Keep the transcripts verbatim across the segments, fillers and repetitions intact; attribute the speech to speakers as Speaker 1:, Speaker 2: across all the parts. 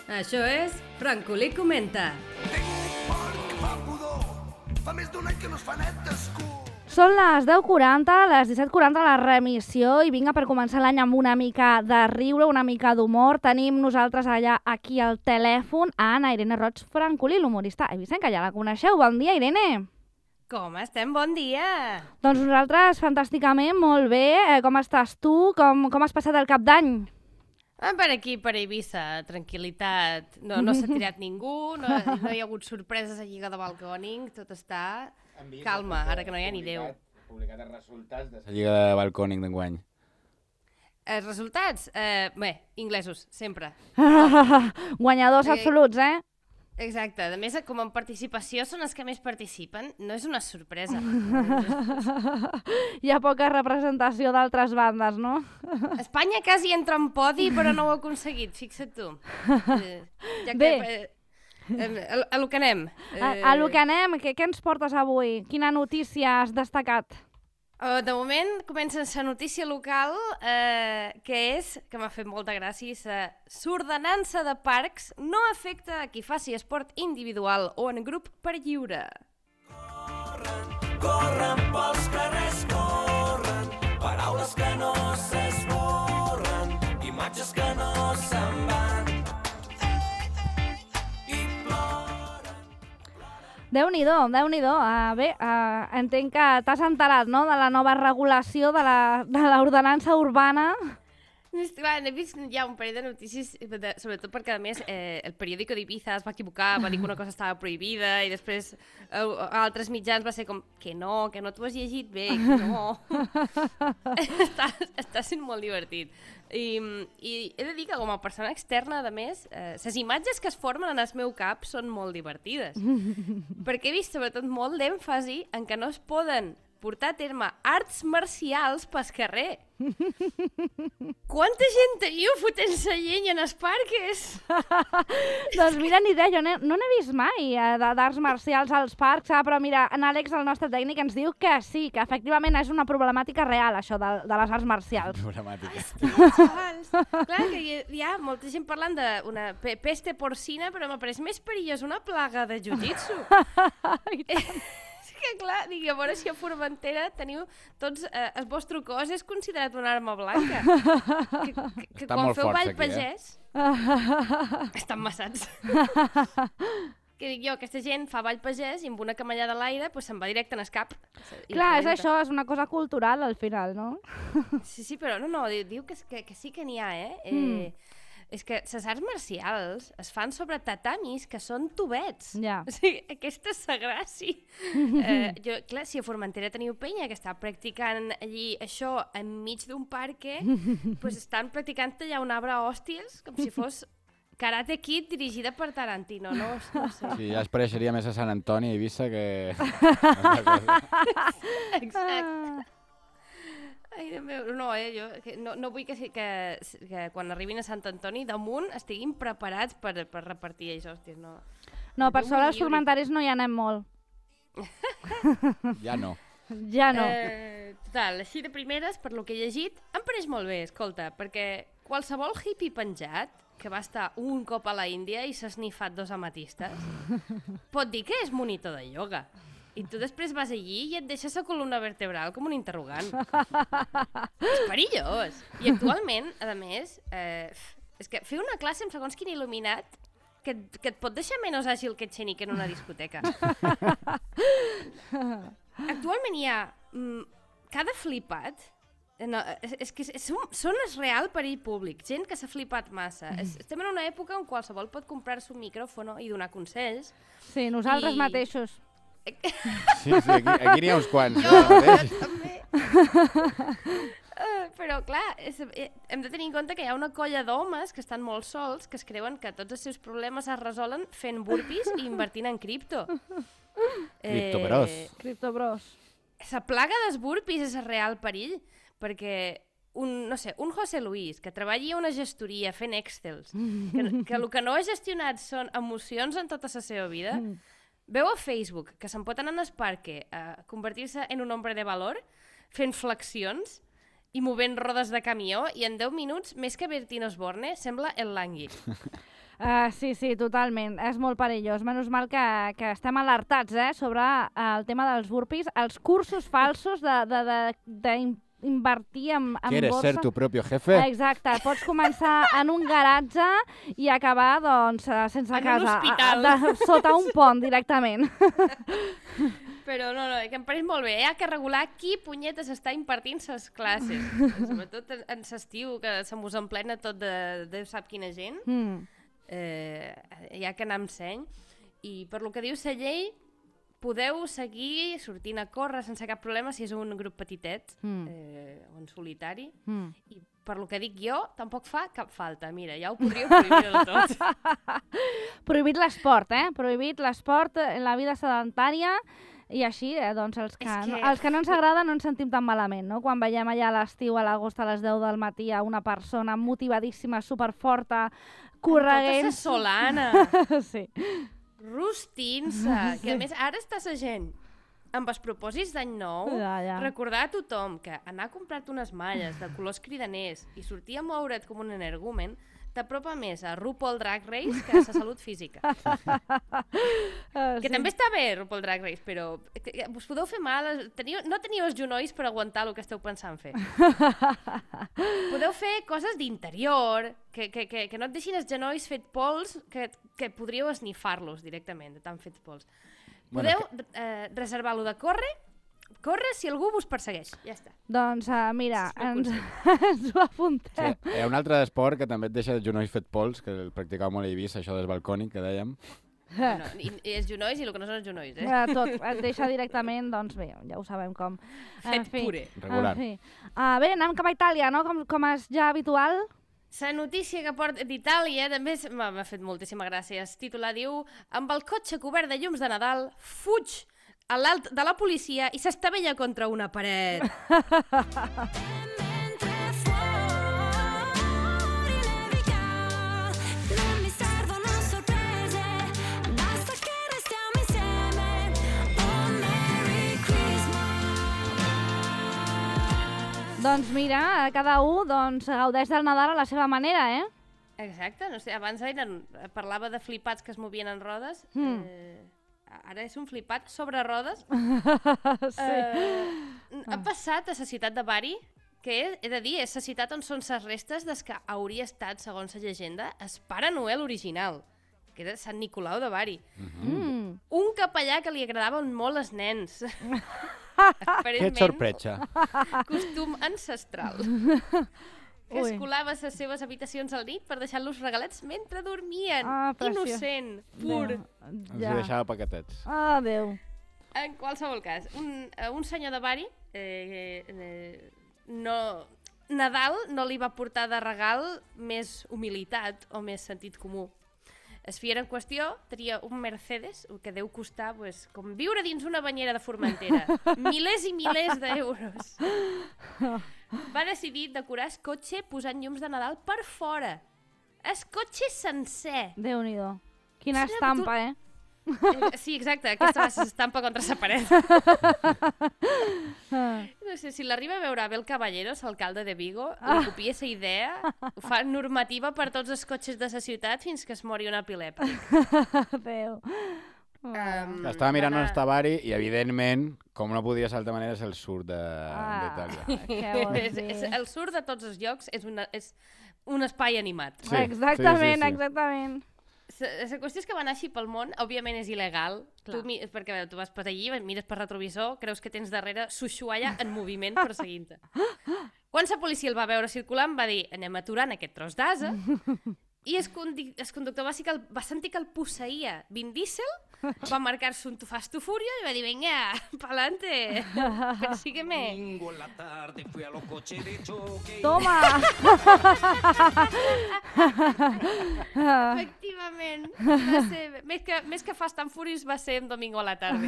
Speaker 1: Això és Francolí Comenta.
Speaker 2: Són les deu quaranta, les disset quaranta la remissió i vinga per començar l'any amb una mica de riure, una mica d'humor. Tenim nosaltres allà aquí al telèfon a Anna Irene Roig Francolí, l'humorista eivissenca, ja la coneixeu. Bon dia, Irene!
Speaker 3: Com estem? Bon dia!
Speaker 2: Doncs nosaltres fantàsticament, molt bé. Eh, com estàs tu? Com, com has passat el cap d'any?
Speaker 3: Ah, per aquí, per Eivissa, tranquil·litat. No, no s'ha tirat ningú, no, no hi ha hagut sorpreses a Lliga de Balcòning, tot està calma, ara que no hi ha ni Déu.
Speaker 4: Publicat els resultats de la Lliga de Balcòning d'enguany.
Speaker 3: Els resultats? Eh, bé, inglesos, sempre.
Speaker 2: Guanyadors
Speaker 3: Eh,
Speaker 2: absoluts, eh?
Speaker 3: Exacte, a més, com en participació són els que més participen, no és una sorpresa.
Speaker 2: Hi ha poca representació d'altres bandes, no?
Speaker 3: Espanya quasi entra en podi, però no ho ha aconseguit, fixa't tu. Eh, ja que,
Speaker 2: Bé.
Speaker 3: Eh, eh, a, a lo que anem.
Speaker 2: A, a lo que anem, què, què ens portes avui? Quina notícia has destacat?
Speaker 3: Uh, de moment comença la notícia local, eh, que és, que m'ha fet molta gràcia, la l'ordenança de parcs no afecta a qui faci esport individual o en grup per lliure.
Speaker 5: Corren, corren pels carrers, corren, paraules que no s'esborren, imatges que no se'n van.
Speaker 2: Déu-n'hi-do, Déu-n'hi-do. Uh, bé, uh, entenc que t'has enterat, no?, de la nova regulació de la- de l'ordenança urbana.
Speaker 3: Clar, he vist ja un parell de notícies, de, sobretot perquè, a més, eh, el periòdico d'Ibiza es va equivocar, va dir que una cosa estava prohibida i després eh, a altres mitjans va ser com que no, que no t'ho has llegit bé, que no. està, està sent molt divertit. I, I he de dir que com a persona externa, a més, eh, les imatges que es formen en el meu cap són molt divertides. Perquè he vist sobretot molt d'èmfasi en que no es poden portar a terme arts marcials pel carrer. Quanta gent teniu fotent-se llenya en els parques?
Speaker 2: Doncs mira, ni idea, jo no, no n'he vist mai eh, de- d'arts marcials als parcs, ah, però mira, en Àlex, el nostre tècnic, ens diu que sí, que efectivament és una problemàtica real, això de, de les arts marcials.
Speaker 4: Problemàtica.
Speaker 3: Xavals. Clar que hi, hi ha molta gent parlant d'una pe peste porcina, però m'ha pareix més perillós una plaga de jiu-jitsu. És que clar, dic, a veure si a Formentera teniu tots, eh, el vostre cos és considerat una arma blanca. Que, que, que
Speaker 4: Estan
Speaker 3: quan
Speaker 4: molt
Speaker 3: feu
Speaker 4: forts
Speaker 3: ball
Speaker 4: aquí, eh?
Speaker 3: pagès, estan massats. Que dic jo, aquesta gent fa ball pagès i amb una camallada a l'aire pues, se'n va directe en el cap. I
Speaker 2: Clar, és
Speaker 3: rebenta.
Speaker 2: això, és una cosa cultural al final, no?
Speaker 3: Sí, sí, però no, no, diu, diu que, que, que sí que n'hi ha, eh?
Speaker 2: Mm.
Speaker 3: eh és que les arts marcials es fan sobre tatamis que són tubets.
Speaker 2: Ja.
Speaker 3: O sigui, aquesta és la gràcia. eh, jo, clar, si a Formentera teniu penya que està practicant allí això enmig d'un parque, pues estan practicant allà un arbre a hòsties, com si fos Karate Kid dirigida per Tarantino, no, no sé.
Speaker 4: Sí, ja es pareixeria més a Sant Antoni i Eivissa que...
Speaker 3: Exacte. Ai, Déu meu, no, eh, jo que no, no vull que, que, que quan arribin a Sant Antoni damunt estiguin preparats per, per repartir això, hòstia, no.
Speaker 2: No, per
Speaker 3: Déu
Speaker 2: sort
Speaker 3: me
Speaker 2: als
Speaker 3: lliuri.
Speaker 2: formentaris no hi anem molt.
Speaker 4: Ja no.
Speaker 2: Ja no.
Speaker 3: Eh, total, així de primeres, per lo que he llegit, em pareix molt bé, escolta, perquè qualsevol hippie penjat, que va estar un cop a la Índia i s'ha snifat dos amatistes, pot dir que és monitor de ioga. I tu després vas allí i et deixes la columna vertebral com un interrogant. És perillós. I actualment, a més, eh, és que fer una classe amb segons quin il·luminat que, et- que et pot deixar menys àgil que Etxenique en una discoteca. Actualment hi ha mm, cada flipat, eh, no, és, és que és, un, són el real perill públic, gent que s'ha flipat massa. Es, estem en una època on qualsevol pot comprar-se un micròfon i donar consells.
Speaker 2: Sí, nosaltres
Speaker 3: I-
Speaker 2: mateixos.
Speaker 4: Sí, sí, aquí, aquí n'hi ha uns quants.
Speaker 3: Jo,
Speaker 4: ara mateix.
Speaker 3: jo també. Uh, però clar, és, eh, hem de tenir en compte que hi ha una colla d'homes que estan molt sols, que es creuen que tots els seus problemes es resolen fent burpees i invertint en cripto.
Speaker 4: Criptobros.
Speaker 2: Criptobros.
Speaker 3: La plaga dels burpees és el real perill, perquè un, no sé, un José Luis que treballi a una gestoria fent excels, que, que el que no ha gestionat són emocions en tota la seva vida, veu a Facebook que se'n pot anar en el parque a convertir-se en un hombre de valor fent flexions i movent rodes de camió i en deu minuts, més que Bertino Osborne, sembla el Langui.
Speaker 2: Uh, sí, sí, totalment. És molt perillós. Menys mal que, que estem alertats eh, sobre el tema dels burpees, els cursos falsos de, de, de, de invertir en, en
Speaker 4: ¿Quieres
Speaker 2: borsa.
Speaker 4: ser tu propio jefe?
Speaker 2: Exacte. Pots començar en un garatge i acabar, doncs, eh, sense
Speaker 3: En un
Speaker 2: casa.
Speaker 3: hospital.
Speaker 2: A, a, de, sota un pont, directament.
Speaker 3: Però no, no, que em pareix molt bé. Hi ha que regular qui punyetes està impartint ses classes. Sobretot en, en s'estiu, que se mos emplena tot de, de sap quina gent.
Speaker 2: Mm.
Speaker 3: Eh, hi ha que anar amb seny. I per lo que diu la llei, podeu seguir sortint a córrer sense cap problema si és un grup petitet
Speaker 2: Mm.
Speaker 3: eh, o en solitari.
Speaker 2: Mm.
Speaker 3: I per lo que dic jo, tampoc fa cap falta. Mira, ja ho podríeu prohibir del tot.
Speaker 2: Prohibit l'esport, eh? Prohibit l'esport, la vida sedentària. I així, eh, doncs, els que,
Speaker 3: És que-
Speaker 2: no, els que no ens agrada no ens sentim tan malament, no? Quan veiem allà a l'estiu, a l'agost, a les deu del matí, a una persona motivadíssima, superforta, correguent...
Speaker 3: Tota sa solana,
Speaker 2: Sí.
Speaker 3: rostint-se, que a més ara està la gent amb els propòsits d'any nou,
Speaker 2: Ja, ja.
Speaker 3: recordar a tothom que anar a comprar-te unes malles de colors cridaners i sortir a moure't com un energumen t'apropa més a RuPaul Drag Race que a la salut física.
Speaker 2: Uh,
Speaker 3: Que també està bé, RuPaul Drag Race, però que- us podeu fer mal, teniu, no teniu els genolls per aguantar el que esteu pensant fer. Podeu fer coses d'interior, que, que, que, que no et deixin els genolls fet pols, que, que podríeu esnifar-los directament, de tan fets pols.
Speaker 4: Bueno,
Speaker 3: Podeu eh, reservar-lo de córrer, córrer si algú vos persegueix, ja està.
Speaker 2: Doncs uh, mira,
Speaker 3: És el
Speaker 2: ens,
Speaker 3: consell.
Speaker 2: ens ho apuntem.
Speaker 4: Sí, hi ha un altre esport que també et deixa els genolls fet pols, que el practicava molt a Eivissa, això del balcònic, que dèiem.
Speaker 3: Bueno, i, i els genolls i el que no són els genolls, eh?
Speaker 2: Eh, tot, et deixa directament, doncs bé, ja ho sabem com. En
Speaker 3: Fet
Speaker 2: fi,
Speaker 3: puré.
Speaker 4: Regular.
Speaker 2: En fi. Uh, bé, anem cap a Itàlia, no? Com, com és ja habitual.
Speaker 3: La notícia que porta d'Itàlia també és- m'ha m'ha fet moltíssima gràcia. El titular diu: amb el cotxe cobert de llums de Nadal, fuig a l'alt de la policia i s'estavella contra una paret.
Speaker 6: Mentre fuori nevica, non mi servono sorprese, basta che restiamo insieme. Oh, Merry Christmas.
Speaker 2: Doncs mira, cada un doncs, gaudeix del Nadal a la seva manera, eh?
Speaker 3: Exacte, no sé, abans eren, parlava de flipats que es movien en rodes.
Speaker 2: Mm.
Speaker 3: Eh, ara és un flipat sobre rodes.
Speaker 2: Sí.
Speaker 3: Eh, ha passat a la ciutat de Bari, que he, he de dir, és la ciutat on són les restes des que hauria estat, segons la llegenda, el Pare Noel original, que era Sant Nicolau de Bari.
Speaker 2: Mm.
Speaker 3: Un capellà que li agradaven molt els nens.
Speaker 4: Que
Speaker 3: Aparentment,
Speaker 4: sorpresa.
Speaker 3: costum ancestral. Que
Speaker 2: Ui.
Speaker 3: es colava a les seves habitacions al nit per deixar-los regalets mentre dormien.
Speaker 2: Ah, preciós.
Speaker 3: Innocent, pur.
Speaker 4: Ens
Speaker 2: Ja.
Speaker 4: hi deixava paquetets.
Speaker 2: Ah, Déu.
Speaker 3: En qualsevol cas, un, eh, un senyor de Bari, eh, eh, no, Nadal no li va portar de regal més humilitat o més sentit comú. El fier en qüestió tenia un Mercedes que deu costar pues, com viure dins una banyera de Formentera. Milers i milers d'euros. Va decidir decorar el cotxe posant llums de Nadal per fora. El cotxe sencer.
Speaker 2: Déu-n'hi-do. Quina
Speaker 3: Sí,
Speaker 2: estampa, eh?
Speaker 3: Eh, Sí, exacte, aquesta va ser l'estampa contra la paret. No sé, si l'arriba a veure Abel Caballeros, alcalde de Vigo, li copia aquesta idea, ho fa normativa per tots els cotxes de la ciutat fins que es mori un epilèptic.
Speaker 2: Déu.
Speaker 3: Um,
Speaker 4: Estava mirant on està Bari i, evidentment, com no podia ser d'altra manera, és el sud de-
Speaker 2: Ah.
Speaker 4: d'Itàlia.
Speaker 2: Què vols
Speaker 3: és, és,
Speaker 2: dir?
Speaker 3: el sur de tots els llocs és, una, és un espai animat.
Speaker 4: Sí,
Speaker 2: Exactament,
Speaker 4: sí, sí, sí.
Speaker 2: exactament.
Speaker 3: La, la qüestió és que va anar així pel món, òbviament és il·legal, tu, mi- perquè veure, tu vas per allí, mires per retrovisor, creus que tens darrere Sushuaya en moviment perseguint-te. Quan la policia el va veure circulant va dir anem aturant aquest tros d'asa i el, condi el conductor va, sí que el, va sentir que el posseïa Vin Diesel, va marcar-se un tu fas tu furia i va dir venga, pa'lante, persígueme.
Speaker 5: Domingo en la tarde fui a los coches de choque.
Speaker 2: Toma!
Speaker 3: Efectivament, va ser, més, que, més que Fast and Furious va ser un domingo a la tarda.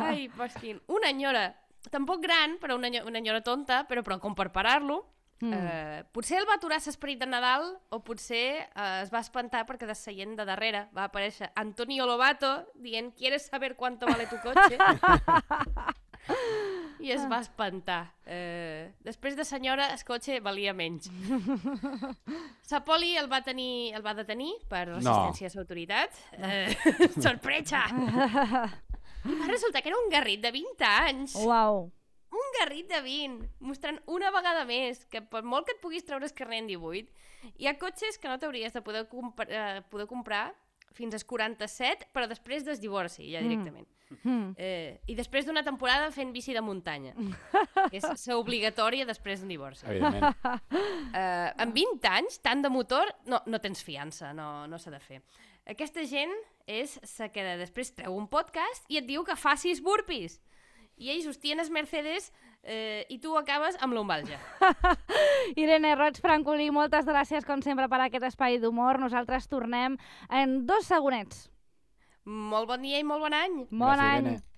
Speaker 3: Ai, posquin. Una enyora, tampoc gran, però una, enyo- una enyora tonta, però, però com per parar-lo, mm. eh, potser el va aturar l'esperit de Nadal o potser eh, es va espantar perquè de seient de darrere va aparèixer Antonio Lobato dient ¿quieres saber cuánto vale tu coche? i es va espantar. Eh, després de senyora, el cotxe valia menys. Sa poli el va, tenir, el va detenir per resistència no. a l'autoritat. Eh, sorpresa! I va resultar que era un garrit de vint anys.
Speaker 2: Uau.
Speaker 3: Un garrit de vint, mostrant una vegada més que per molt que et puguis treure el carnet en divuit, hi ha cotxes que no t'hauries de poder, compra, eh, poder comprar fins als quaranta-set, però després del divorci, ja directament. Mm. Eh, I després d'una temporada fent bici de muntanya, que és l'obligatòria després d'un divorci.
Speaker 4: Evidentment.
Speaker 3: Eh, amb vint anys, tant de motor, no, no tens fiança, no, no s'ha de fer. Aquesta gent és la que després treu un podcast i et diu que facis burpees. I ells hostien els Mercedes eh, i tu acabes amb l'ombalja.
Speaker 2: Irene Roig Francolí, moltes gràcies com sempre per aquest espai d'humor. Nosaltres tornem en dos segonets.
Speaker 3: Molt bon dia i molt bon any.
Speaker 2: Bon
Speaker 4: Gràcies,
Speaker 2: any.
Speaker 4: Irene.